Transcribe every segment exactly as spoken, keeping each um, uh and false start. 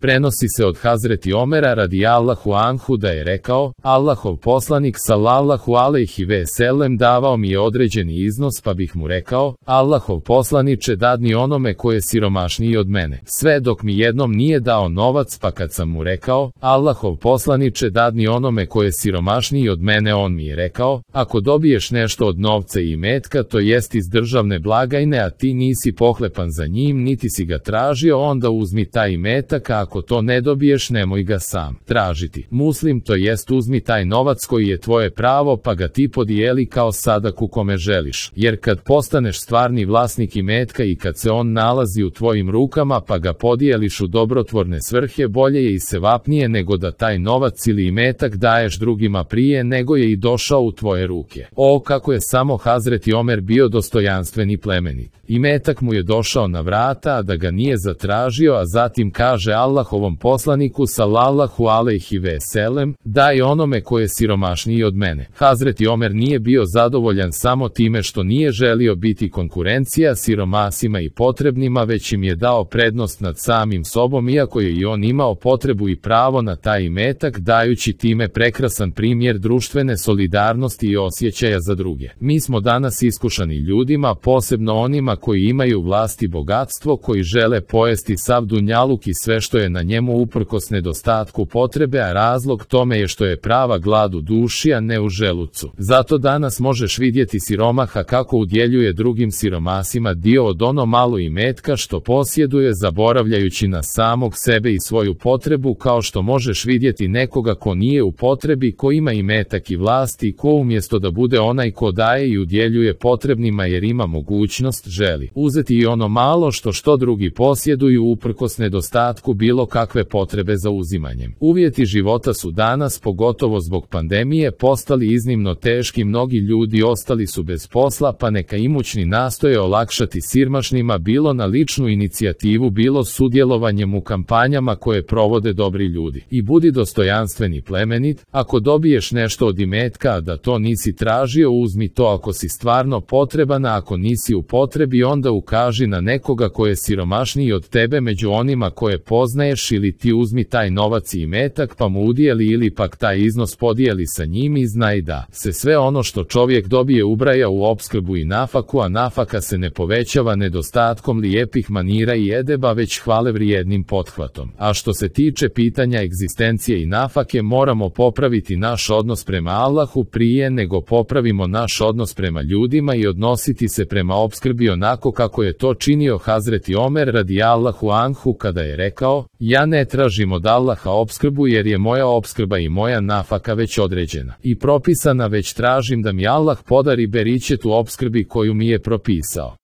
Prenosi se od Hazreti Omera radijallahu anhu da je rekao, Allahov poslanik sallallahu alejhi ve sellem davao mi je određeni iznos pa bih mu rekao, Allahov poslaniče dadni onome ko je siromašniji od mene. Sve dok mi jednom nije dao novac pa kad sam mu rekao, Allahov poslaniče dadni onome ko je siromašniji od mene, on mi je rekao, ako dobiješ nešto od novca i imetka, to jest iz državne blagajne, a ti nisi pohlepan za njim niti si ga tražio, onda uzmi taj imetak, a ako to ne dobiješ nemoj ga sam tražiti. Muslim, to jest uzmi taj novac koji je tvoje pravo pa ga ti podijeli kao sadaku kome želiš, jer kad postaneš stvarni vlasnik imetka i kad se on nalazi u tvojim rukama pa ga podijeliš u dobrotvorne svrhe, bolje je i sevapnije nego da taj novac ili imetak daješ drugima prije nego je i došao u tvoje ruke. O, kako je samo Hazreti Omer bio dostojanstven i plemenit. Imetak mu je došao na vrata, a da ga nije zatražio, a zatim kaže Allahovom poslaniku sallallahu alejhi ve sellem, daj onome ko je siromašniji od mene. Hazreti Omer nije bio zadovoljan samo time što nije želio biti konkurencija siromasima i potrebnima, već im je dao prednost nad samim sobom, iako je i on imao potrebu i pravo na taj imetak, dajući time prekrasan primjer društvene solidarnosti i osjećaja za druge. Mi smo danas iskušani ljudima, posebno onima koji imaju vlast i bogatstvo, koji žele pojesti sav dunjaluk i sve što je na njemu uprkos nedostatku potrebe, a razlog tome je što je prava glad u duši, a ne u želucu. Zato danas možeš vidjeti siromaha kako udjeljuje drugim siromasima dio od ono malo imetka što posjeduje, zaboravljajući na samog sebe i svoju potrebu, kao što možeš vidjeti nekoga ko nije u potrebi, ko ima imetak i vlast i ko umjesto da bude onaj ko daje i udjeljuje potrebnima jer ima mogućnost, želi uzeti i ono malo što što drugi posjeduju uprkos nedostatku bilo kakve potrebe za uzimanjem. Uvjeti života su danas, pogotovo zbog pandemije, postali iznimno teški, mnogi ljudi ostali su bez posla, pa neka imućni nastoje olakšati siromašnima, bilo na ličnu inicijativu, bilo sudjelovanjem u kampanjama koje provode dobri ljudi. I budi dostojanstven i plemenit, ako dobiješ nešto od imetka, a da to nisi tražio, uzmi to ako si stvarno potreban, a ako nisi u potrebi, onda ukaži na nekoga ko je siromašniji od tebe među onima koje poznaješ, ili ti uzmi taj novac i imetak pa mu udijeli ili pak taj iznos podijeli sa njim i znaj da se sve ono što čovjek dobije ubraja u opskrbu i nafaku, a nafaka se ne povećava nedostatkom lijepih manira i edeba, već hvale vrijednim pothvatom. A što se tiče pitanja egzistencije i nafake, moramo popraviti naš odnos prema Allahu prije nego popravimo naš odnos prema ljudima i odnositi se prema opskrbi onako kako je to činio Hazreti Omer radijallahu anhu kada je rekao, ja ne tražim od Allaha opskrbu jer je moja opskrba i moja nafaka već određena i propisana, već tražim da mi Allah podari beričet u opskrbi koju mi je propisao.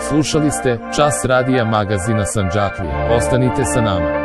Slušali ste Čas radija magazina Sandžaklija. Ostanite sa nama.